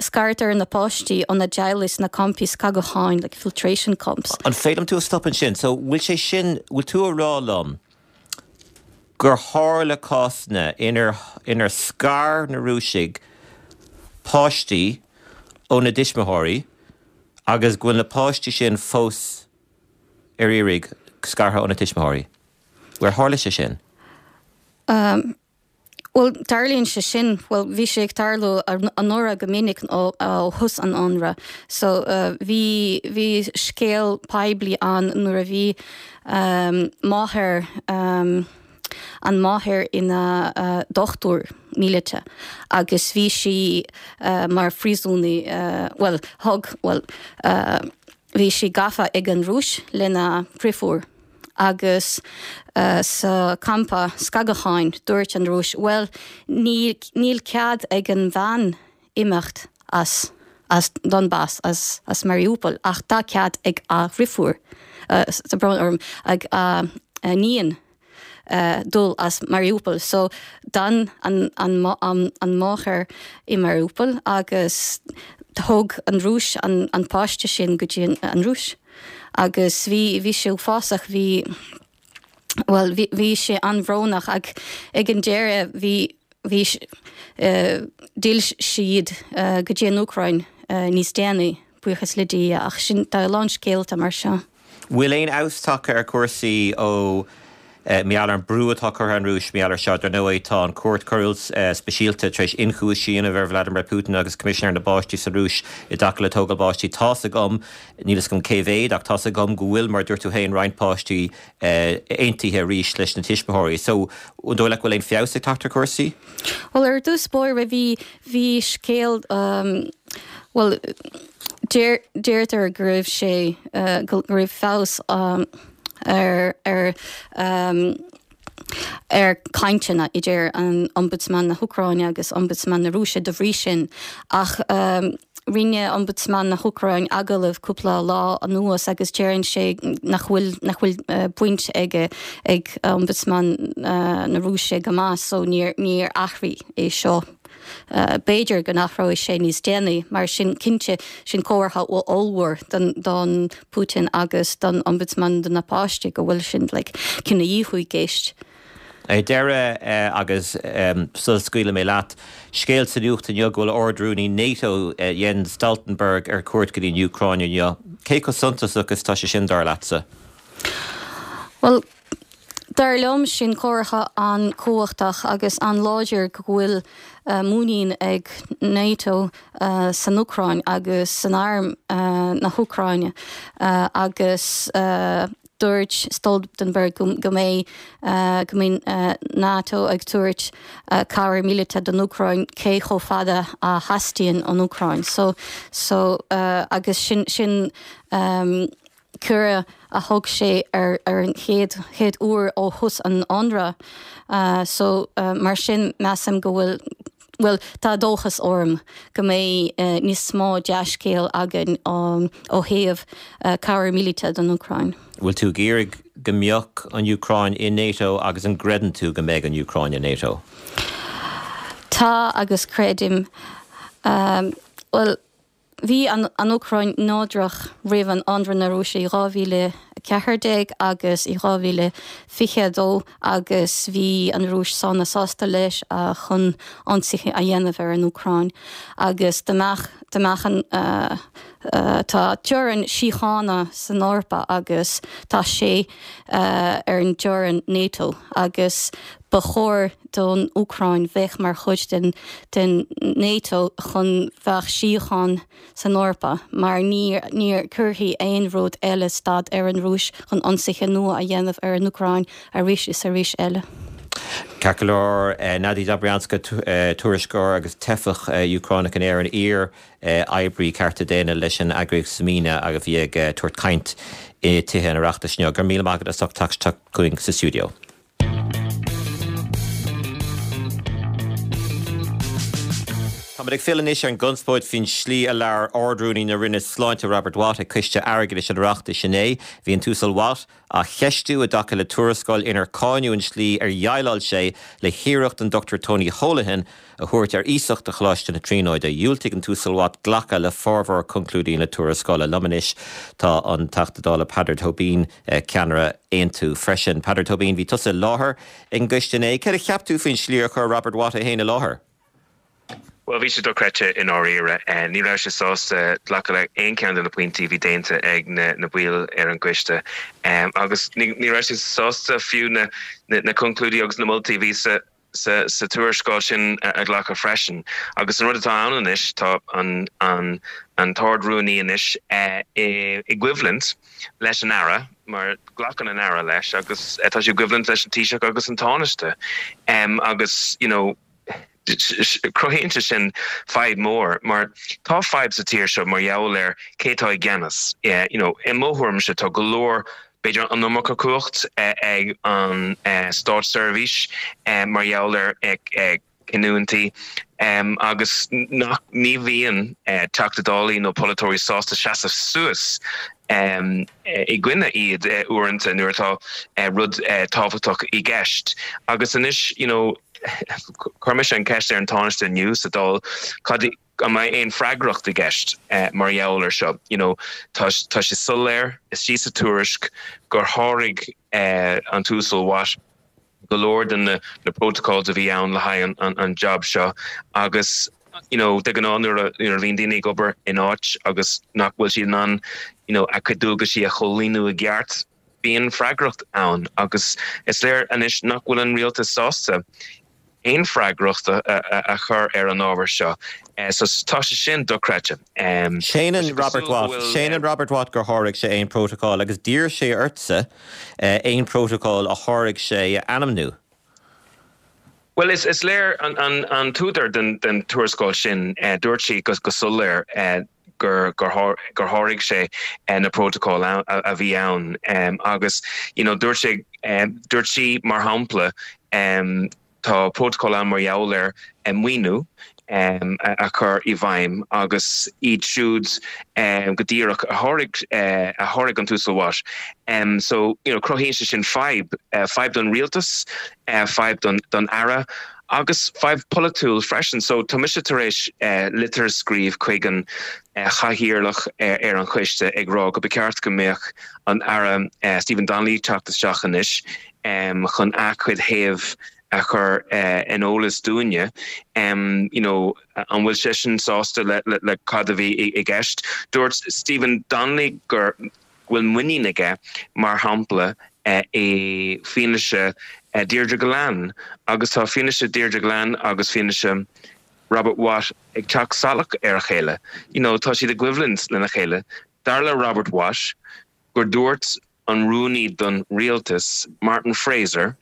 scartar na páistí óna dteaghlaigh sna campaí scagadháin, like filtration camps. An féidir liom tú a stop ansin? So, bhfuil sé sin, bhfuil tú a rá liom gur tharla cásanna inar, inar scar na Rúisigh páistí óna dtuismitheoirí agus go bhfuil na páistí sin fós ar iarraidh scartha óna tuismitheoirí. Ar tharla sé sin? Bhuel, tarlaíonn sé sin, bhuel, bhí sé ag tarlú anuraidh go minic ó thús an ionraidh. So, bhí, bhí scéal poiblí ann nuair a bhí máthair, an máthair ina dochtúir míleata agus bhí sí mar phríosúnaí, bhuel, thug, bhuel, bhí sí gafa ag an Rúis lena driofúr agus sa campa scagadháin dúirt an Rúis, bhuel, níl cead ag an bhean imeacht as as Donbas, as as Mariupol, ach tá cead ag a dhriofúr, tá brón orm, ag a iníon dul as Mariupol. So d'fhan an an an an máthair i Mariupol agus thóg an Rúis an an páiste sin go dtí an Rúis. Agus bhí, bhí sé uafásach, bhí, bhuel, bhí, bhí sé an-bhrónach ach ag an deireadh bhí, bhí, d'fhill siad go dtí an Úcráin níos déanaí, buíochas le Dia, ach sin, tá a lán scéalta mar seo. Bhfuil aon fheabhas tagtha ar chúrsaí ó mar gheall ar an brú atá curtha ar an Rúis mar gheall ar seo? Dar ndóigh tá an Chúirt Choiriúil Speisialta tar éis ionchúiseamh a dhéanamh ar Vladimir Putin agus Coimisinéir na bPáistí sa Rúis i dtaca le tógáil páistí. Tá's agam, níl fhios agam cé mhéad, ach tá's agam go bhfuil, mar a dúirt tú féin, roinnt páistí aontaithe arís leis na tuismitheoirí. So, an dóigh leat go bhfuil aon feabhas ag teacht ar chúrsaí? Bhuel, ar dtús báire bhí, bhí scéal, bhuel, deir, deirtear go raibh sé, go raibh feabhas ar, ar, ar cainteanna idir an Ombudsman na hÚcráine agus Ombudsman na Rúise de bhrí sin ach rinne Ombudsman na hÚcráine agallamh cúpla lá anuas agus deireann sé nach bhfuil, nach bhfuil baint aige ag Ombudsman na Rúise go maith so níor, níor athraigh é seo. B'fhéidir go n-athróidh sé níos déanaí, mar sin cinnte sin comhartha ollmhór don don Putin agus don Ombudsman do na páistí go bhfuil sin like cinedhíothú i gceist. Ar deireadh, agus sula scaoilfidh mé leat, scéal sa nuacht inniu go bhfuil Ard-Rúnaí NATO, Jens Stoltenberg, ar cuairt go dtí an Úcráin inniu. Cé chomh suntasach is atá sé sin, dar leatsa? Bhuel, Dar liom, sin comhartha an-chumhachtach agus an-láidir go bhfuil muinín ag NATO san Úcráin agus san arm na hÚcráine agus dúirt Stoltenberg go mbeidh go mbeidh NATO ag tabhairt cabhair míleata don Úcráin cé chomh fada a theastaíonn ón Úcráin. So so agus sin sin cuireadh a thug sé ar an chéad chéad uair ó thús an ionradh so mar sin measaim go bhfuil bhuel tá dóchas orm go mbeidh níos mó dea-scéal againn ó thaobh cabhair míleata don Úcráin. Bhfuil tú ag iarraidh go mbeadh an Úcráin i NATO agus an gcreideann tú go mbeidh an Úcráin i NATO? Tá agus creidim. Bhuel. Bhí an Úcráin neodrach roimh an ionradh na Rúise i 2014 agus i 2022 agus bhí an Rúis sona sásta leis chun ionsaithe a dhéanamh ar an Úcráin agus dá mbeadh dá mbeadh an tá teorainn síochána san Eorpa agus tá sé ar an dteorainn NATO agus ba chóir don Úcráin bheith mar chuid den den NATO chun bheadh síocháin san Eorpa mar ní ní cuirfidh aon rud eile stad ar an Rúis chun ionsaithe nua a dhéanamh ar an Úcráin arís is arís eile. Ceart go leor, Nadia Dobrianska, tuairisceoir agus teifeach Úcránach in Éirinn, iar oibrí cearta daonna leis an eagraíocht Zmina a bhí ag tabhairt caint i Tithe an Oireachtais inniu. Go raibh míle maith agat as ucht teacht isteach chugainn sa stiúideo. Táimid ag filleadh anois ar an gconspóid faoin slí a labhair Ard-Rúnaí na Roinne Sláinte Robert Watt ag Coiste Airgeadais an Oireachtais inné. Bhí an tUasal Watt á cheistiú i dtaca le tuarascáil inar cáineadh an slí ar dhéileáil sé le hiarracht an Dr Tony Holohan a thabhairt ar iasacht do Choláiste na Tríonóide. Dhiúltaigh an tUasal Watt glacadh le formhór conclúidí na tuarascála. Liom anois tá an Teachta Dála Peadar Tóibín, ceannaire Aontú freisin. Peadar Tóibín, bhí tusa i láthair ag an gcoiste inné. Céard a cheap tú faoin slí ar chuir Robert Watt é féin i láthair? Bhuel, bhí sé dochreidte i ndáiríre. Ní raibh sé sásta glacadh le aon cheann de na pointí a bhí déanta ag na baill ar an gcoiste agus ní raibh sé sásta fiú na conclúidí agus na moltaí a bhí sa sa tuarascáil sin a ghlacadh freisin. Agus an rud atá ann anois, tá an an tArd-Rúnaí anois i gcoimhlint leis an Aire, mar glacann an Aire leis, agus tá sé i gcoimhlint leis an Taoiseach agus an Tánaiste. Agus, you know, cruthaíonn sé sin fadhb mór, mar tá fadhb sa tír seo mar gheall ar cé atá i gceannas. You know, i mo thuairimse, tá go leor b'fhéidir an iomarca cumhacht ag an státseirbhís mar gheall ar chinniúintí agus nach ní bhíonn Teachta Dálaí nó polaiteoirí sásta seasamh suas i gcoinne iad uaireanta nuair atá rud tábhachtach i gceist. Agus anois, you know, chuir mise an cheist ar an Tánaiste inniu sa Dáil, cad. An mbeidh aon freagracht i gceist mar gheall air seo? You know, tá tá sé soiléir istigh sa tuairisc gur sháraigh an tUasal Watt go leor de na na protocols a bhí ann le haghaidh an an job seo agus you know, de ghnáth nuair a nuair a bhíonn daoine ag obair in áit agus nach bhfuil siad in ann you know, a gcuid dualgaisí a chomhlíonadh i gceart, bíonn freagracht ann agus is léir anois nach bhfuil an rialtas sásta aon freagracht a chur ar an ábhar seo. So tá sé sin dochreidte. Séanann Robert Watt, séanann Robert Watt gur sháraigh sé aon prótocol agus d'iarr sé ortsa aon prótocol a sháraigh sé a ainmniú. Bhuel, is léir, an t-údar den tuarascáil sin, dúirt sí go soiléir gur sháraigh sé na prótacail a bhí ann agus you know dúirt sé, dúirt sí mar shampla tá prótacal ann mar gheall ar maoiniú a chur i bhfeidhm agus iad siúd go díreach a sháraigh a sháraigh an tUasal Watt. So you know cruthaíonn sé sin fadhb, fadhb don rialtas, fadhb don don Aire agus fadhb polaitiúil freisin. So tá mise tar éis litir a scríobh chuig an chathaoirleach ar an choiste ag rá go ba cheart go mbeadh an Aire Stephen Donnelly ag teacht isteach anois chun a chuid thaobh a chur in eolas dúinne. You know, an bhfuil seisean sásta le le cad a bhí i gceist? Dúirt Stephen Donnelly go bhfuil muinín aige, mar shampla, i bhfianaise Deirdre Gillane agus tá fianaise Deirdre Gillane agus fianaise Robert Watt ag teacht salach ar a chéile. You know, tá siad i gcoimhlint lena chéile. Dar le Robert Watt gur dúirt an rúnaí don rialtas, Martin Fraser,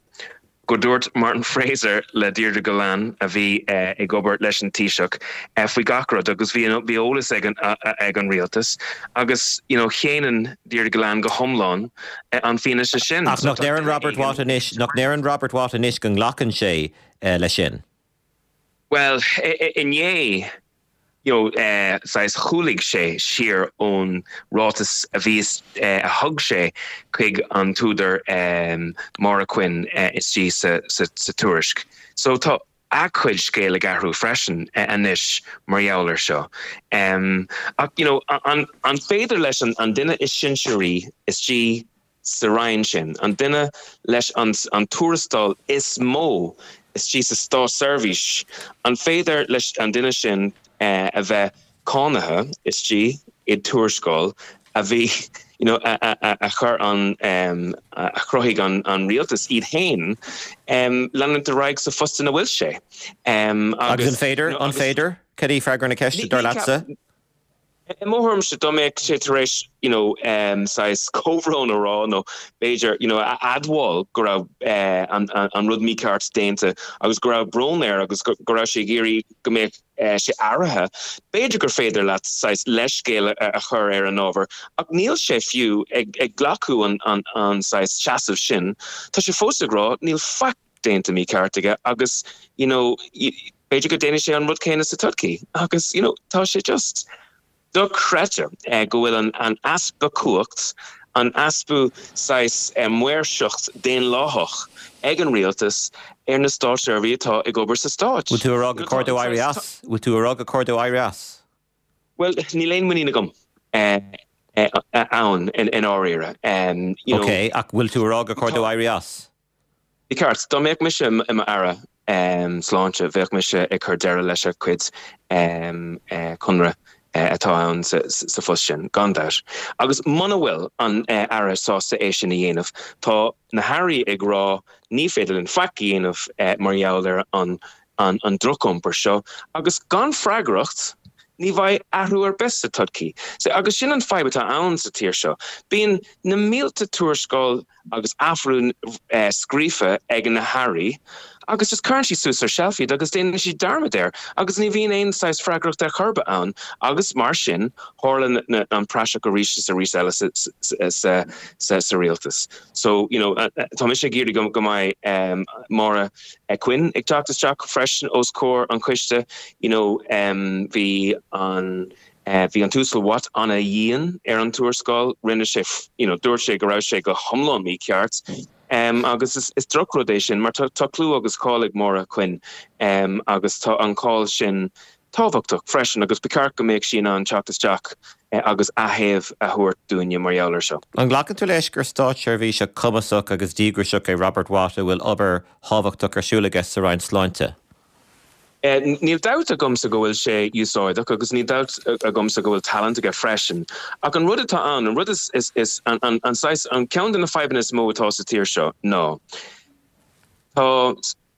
gur dúirt Martin Fraser le Deirdre Gillane, a bhí ag obair leis an Taoiseach, faoi gach rud agus bhí bhí eolas ag an ag an rialtas agus you know séanann Deirdre Gillane go hiomlán an fianaise sin. Ach nach ndeireann Robert Watt anois, nach ndeireann Robert Watt anois go nglacann sé leis sin? Bhuel, inné you know, saghas chúlaigh sé siar ón ráiteas a bhí, a thug sé chuig an t-údar Máire Quinn istigh sa tuairisc. So tá a chuid scéal ag athrú freisin anois mar gheall air seo. Ach, you know, an féidir leis an duine is sinsearaí istigh sa Roinn sin, an duine leis an tuarastal is mó istigh sa státseirbhís, an féidir leis an duine sin a bheith cáinithe istigh i dtuarascáil a bhí, you know, a chuir an, a chruthaigh an rialtas iad féin, leanúint ar aghaidh sa phost ina bhfuil sé? Agus an féidir? An féidir? Cad é freagra na ceiste, dar leatsa? I mo thuairimse, dá mbeadh sé tar éis, you know, saghas comhbhrón a rá nó b'fhéidir, you know, a admháil go raibh an an rud mícheart déanta agus go raibh brón air agus go raibh sé ag iarraidh go mbeadh sé athraithe, b'fhéidir gur féidir leat saghas leithscéal a chur ar an ábhar. Ach níl sé fiú ag ag glacadh an an an saghas seasamh sin. Tá sé fós ag rá níl faic déanta mícheart aige agus, you know, B'fhéidir go ndéanfaidh sé an rud céanna sa todhchaí agus you know tá sé just dochreidte go bhfuil an an easpa cumhacht, an easpa saghas maoirseacht daonlathach ag an rialtas ar na státseirbhísigh atá ag obair sa stát. Bhfuil tú a rá gur chóir dó éirí as? Bhfuil tú a rá gur chóir dó éirí as? Bhuel, níl aon muinín agam ann i ndáiríre. You know. Ok, ach bhfuil tú a rá gur chóir dó éirí as? I gceart, dá mbeadh mise i m'Aire Sláinte, bheadh mise ag cur deireadh leis a chuid conradh atá ann sa phost sin, gan dabht. Agus muna bhfuil an Aire sásta é sin a dhéanamh, tá na hAirí ag rá ní féidir linn faic a dhéanamh mar gheall ar an an drochiompar seo, agus gan freagracht, ní bheidh athrú ar bith sa todhchaí. Agus sin an fadhb atá ann sa tír seo. Bíonn na mílte tuarascáil agus athbhreithniú scríofa ag na hairí agus just cuireann siad suas ar shelf iad agus déanann siad dearmad air agus ní bhíonn aon saghas freagracht ar chor ar bith ann agus mar sin tharla an praiseach arís is arís eile sa rialtas. So, you know, tá mise ag iarraidh go mbeidh Máire Quinn ag teacht isteach freisin os comhair an choiste, you know, bhí an Bhí an tUasal Watt ana-dhian ar an tuarascáil. Rinne sé, you know, dúirt sé go raibh sé go hiomlán mícheart. Agus is drochrud é sin mar tá clú agus cáil ag Máire Quinn agus tá an cáil sin. tábhachtach freisin agus ba cheart go mbeadh sí in ann teacht isteach agus a thaobh a thabhairt dúinne mar gheall air seo. An nglacann tú leis gur státseirbhíseach cumasach agus díograiseach é Robert Watt a bhfuil obair thábhachtach ar siúl aige sa Roinn Sláinte? Níl dabht agamsa go bhfuil sé úsáideach agus níl dabht agamsa go bhfuil talent aige freisin. Ach an rud atá ann, an rud is, is, is, an, an, an saghas, an ceann de na fadhbanna is mó atá sa tír seo ná tá,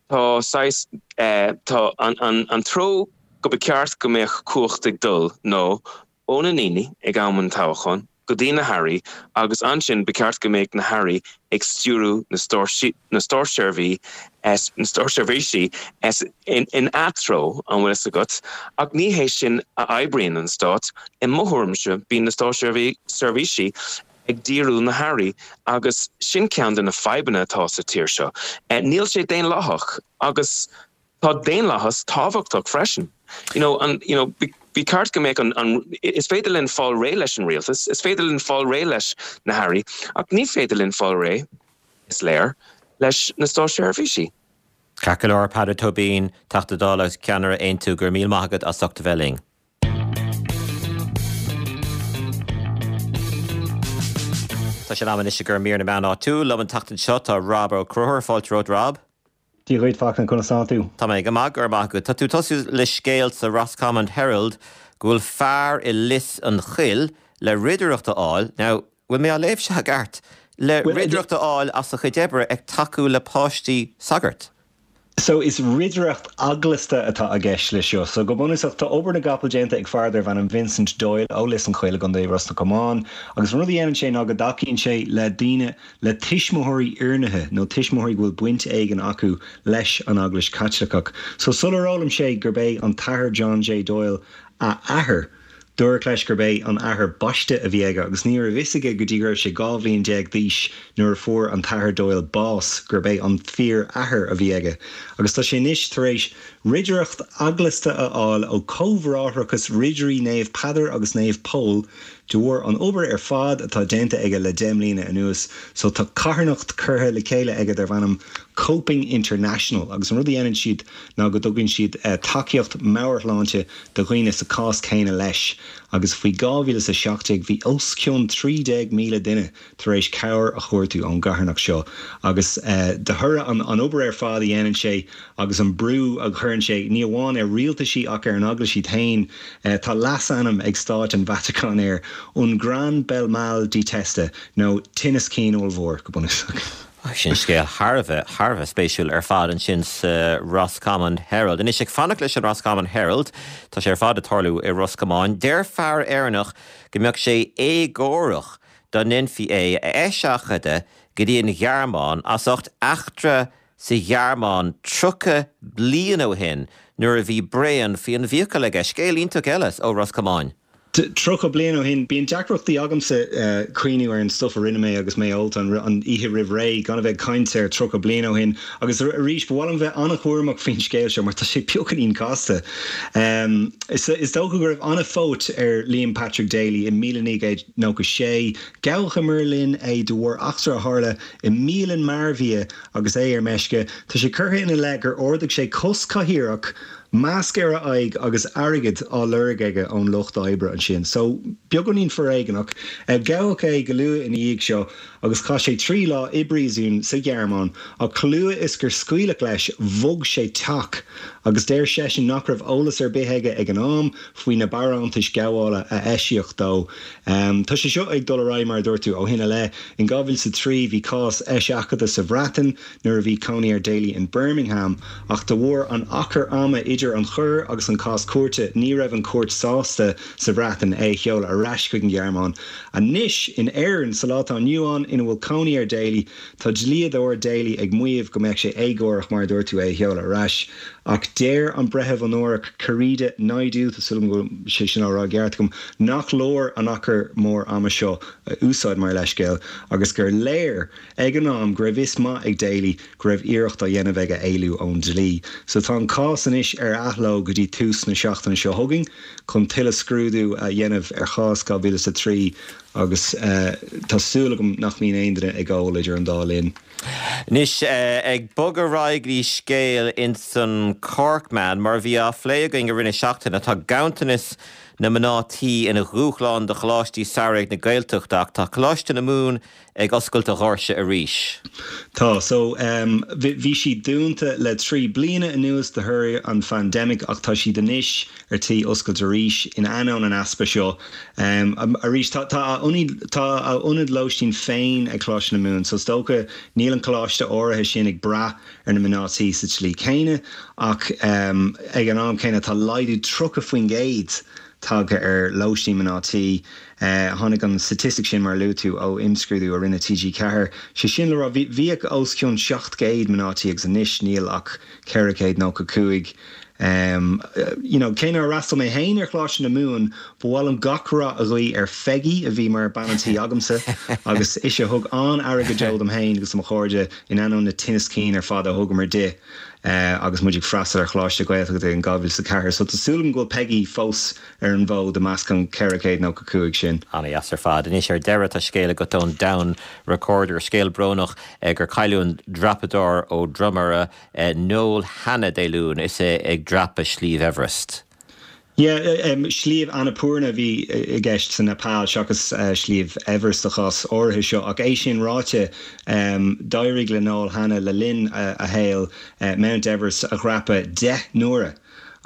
tá saghas, tá an, an, an treo go ba ceart go mbeadh cumhacht ag dul ná ó na ndaoine ag am an toghcháin go dtí na hairí agus ansin ba cheart go mbeadh na hairí ag stiúrú na státseirbhísí in atreo, an bhfuil fhios agat, ach ní hé sin a oibríonn an stát. I mo thuairimse, bíonn na státseirbhísí ag díriú na hairí agus sin ceann de na fadhbanna atá sa tír seo. Níl sé daonlathach agus. Tá daonlathas tábhachtach freisin. You know, an, you know, ba cheart go mbeadh an, an, is féidir linn fáil réidh leis an rialtas, is féidir linn fáil réidh leis na hairí, ach ní féidir linn fáil réidh, is léir, leis na státseirbhísí. Ceart go leor, Peadar Tóibín, Teachta Dála agus Ceannaire Aontú, go raibh míle maith agat as ucht a bheith linn. Tá sé in am anois i gcomhair mír na meán áitiúil. Liom an tseachtain seo tá Rob Ó Conchúir. Fáilte romhat, Rob. Dia dhuit, Fachtna, conas tánn tú? Tá mé go maith, go raibh maith agat. Tá tú ag tosú le scéal sa Roscommon Herald go bhfuil fear i Lios an Choill le ridireacht a fháil, now, bhfuil mé á léamh seo i gceart? le ridireacht a fháil as a chuid oibre ag tacú le páistí sagart. So, is ridireacht eaglasta atá i gceist leis seo. So, go bunúsach, tá obair na gcapall déanta ag fear darbh ainm Vincent Doyle ó Lios an Choill i gContae Ros na Comáin agus an rud a dhéanann sé ná go dtacaíonn sé le daoine le tuismitheoirí oirnithe nó tuismitheoirí go bhfuil baint éigin acu leis an Eaglais Chaitliceach. So sular fhoghlaim sé gurb é an tAthair John J. Doyle a athair, dúradh leis gurb é an athair baiste a bhí aige agus ní raibh fhios aige go dtí go raibh sé 12 bhliain d'aois nuair a fuair an tAthair Doyle bás gurb é an fíor-athair a bhí aige. Agus tá sé anois tar éis ridireacht eaglasta a fháil ó Chomhbhráithreachas Ridirí Naomh Peadar agus Naomh Pól De bharr an obair ar fad atá déanta aige le 10 mbliana anuas so tá carthanacht curtha le chéile aige darb ainm Coping International agus an rud a dhéanann siad ná go dtugann siad tacaíocht meabhairshláinte do dhaoine sa cás céanna leis agus faoi 2017 bhí os cionn 13,000 duine tar éis cabhair a chuartú ón gcarthanacht seo agus de thoradh an obair ar fad a dhéanann sé agus an brú a chuireann sé ní amháin ar rialtaisí ach ar an Eaglais iad féin, tá leasainm ag Stáit an Vatacáin air, Un gran bel mal di testa, nó tinneas cinn ollmhór, go bunúsach. Sin scéal thar a bheith, thar a bheith spéisiúil ar fad ansin sa Roscommon Herald. Anois, ag fanacht leis an Roscommon Herald, tá sé ar fad ag tarlú i Ros Comáin, deir fear Éireannach go mbeadh sé éagórach dá ndéanfaí é a eiseachadadh go dtí an Ghearmáin as ucht eachtra sa Ghearmáin 30 bliain ó shin nuair a bhí braon faoi an bhfiacail aige. Scéal iontach eile ó Ros Comáin. 30 bliain ó shin, bíonn deacrachtaí agamsa cuimhniú ar an stuif a rinne mé agus mé ólta an oíche roimh ré, gan a bheith ag caint ar 30 bliain ó shin. Agus arís, ba mhaith liom bheith an-chúramach faoin scéal seo mar tá sé beagáinín casta. Is dócha go raibh an-phóit ar Liam Patrick Daly i 1900. 96. Gabhadh i mBeirlín é de bharr eachtra a tharla i mbialann mearbhia agus é ar meisce. Tá sé curtha ina leith gur ardaigh sé cos cathaoireach, masc ar a aghaidh agus airgead á lorg aige ón lucht oibre ansin. So, beagáinín foréigeanach. Gabhadh é go luath ina dhiaidh seo agus chaith sé 3 lá i bpríosún sa Ghearmáin ach chomh luath is gur scaoileadh leis bhog sé teach agus deir seisean nach raibh eolas ar bith aige ag an am faoi na barántais ghabhála a eisíodh dó. Tá sé seo ag dul ar aghaidh, mar a dúirt tú, ó shin i leith. In 2003 bhí cás eiseachadta sa Bhreatain nuair a bhí cónaí ar Daly in Birmingham ach de bharr an achair ama idir an choir agus an cás cúirte ní raibh an chúirt sásta sa Bhreatain é a sheoladh ar ais chuig an Ghearmáin. Anois in Éirinn sa lá atá inniu ann ina bhfuil cónaí ar Daly tá dlíodóir Daly ag maíomh go mbeadh sé éagórach mar a dúirt tú é a sheoladh ar ais. Ach deir an Breitheamh Onórach Kerida Naidoo, tá súil agam go bhfuil sé sin á rá i gceart agam, nach leor an achar mór ama seo a úsáid mar leithscéal agus gur léir ag an am go raibh fhios maith ag Daly go raibh iarracht á dhéanamh aige éalú ón dlí. So tá an cás anois ar athló go dtí tús na seachtaine seo chugainn chun tuilleadh scrúdú a dhéanamh ar chás 2003. Agus tá súil agam nach mbíonn aon duine ag ól idir an dá linn. Anois, ag bogadh ar aghaidh go dtí scéal ins an Corkman, mar a bhí á phlé againn i rith na seachtaine, tá ganntanas na mná tí ina dhúshlán do choláistí samhraidh na Gaeltachta ach tá Coláiste na Mumhan ag oscailt a dhoirse arís. Tá. So, bhí siad dúnta le 3 bliana anuas de thoradh an phaindemic ach tá siad anois ar tí oscailt arís in ainneoin an easpa seo. Arís, tá tá a tá a ionad lóistín féin ag Coláiste na Mumhan so is dócha níl an coláiste áirithe sin ag brath ar na mná tí sa tslí céanna ach ag an am céanna tá laghdú 30% tagtha ar lóistín mná tí. Tháinig an staitistic sin, mar a luaigh tú, ó imscrúdú a rinne TG4. Sé sin le rá, bhíodh os cionn 700 mná tí agus anois níl ach 495. You know, cé nár fhreastail mé féin ar Choláiste na Mumhan, ba mhaith liom gach rath a ghuí ar Pheigí, a bhí mar bean an tí agamsa, agus ise a thug an-aire go deo dom féin agus do mo chairde in ainneoin na tinneas cinn ar fad a thugamar di agus muid ag freastal ar Choláiste Gaeltachta in 2004. So tá súil agam go bhfuil Peigí fós ar an bhfód i measc an 495 sin. Ana-dheas ar fad. Anois ar deireadh tá scéal agat ón Down Recorder, scéal brónach gur cailleadh an dreapadóir ó Dromara, Noel Hanna Dé Luain is é ag dreapadh Sliabh Everest. Yeah, Sliabh Annapurna a bhí i gceist sa Nepal seachas Sliabh Everest sa chás áirithe seo. Ach é sin ráite, d'éirigh le Noel Hanna le linn a shaoil Mount Everest a dhreapadh 10 n-uaire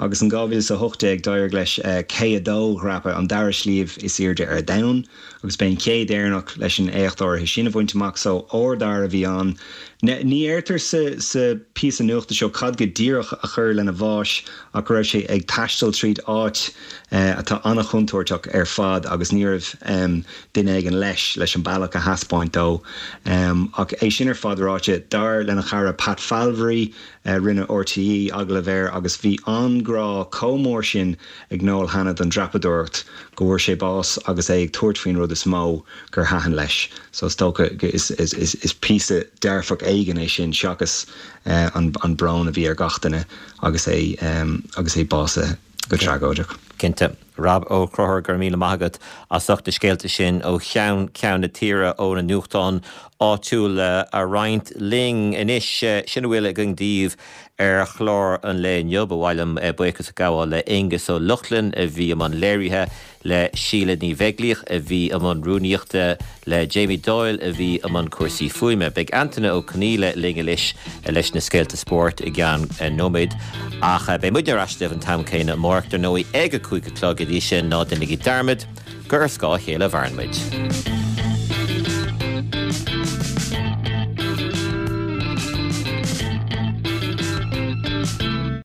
agus in 2018 d'éirigh leis K2 a dhreapadh, an dara sliabh is airde ar domhan. Agus b'é an chéad Éireannach leis an éacht áirithe sin a bhaint amach, so ardfhear a bhí ann. Ní deirtear sa sa phíosa nuachta seo cad go díreach a chuir lena bháis ach go raibh sé ag taisteal tríd áit atá an-chontúirteach ar fad agus ní raibh duine éigin leis leis an bealach a thaispeáint dó. Ach é sin ar fad ráite, dar lena chara Pat Falvery, rinne RTÉ agallamh air agus bhí an grá chomh mór sin ag Noel Hanna don dreapadóireacht go bhfuair sé bás agus é ag tabhairt faoin rud is mó gur thaitin leis. So is dócha is is píosa dearfach éigin é sin seachas an an brón a bhí ar gach duine agus é agus é básaithe go tragóideach. Cinnte. Rob Ó Conchúir, go raibh míle maith agat as ucht na scéalta sin ó cheann ceann na tíre ó na nuachtáin áitiúla a roinnt linn. Anois, sin a bhfuil againn daoibh ar chlár an lae inniu. Ba mhaith liom buíochas a ghabháil le Aengus Ó Lochlainn a bhí i mbun léirithe, le Síle Ní Bheaglaoich a bhí i mbun rúnaíochta, le Jamie Doyle a bhí i mbun cúrsaí fuaime. Beidh Antaine Ó Conghaile linn anois leis na scéalta spóirt i gceann nóiméad. Ach beidh muidne ar ais libh an t-am céanna amárach, dar ndóigh, ag a 5 a chlog. Go dtí sin, ná déanaigí dearmad gur ar scáth a chéile a mhaireann muid.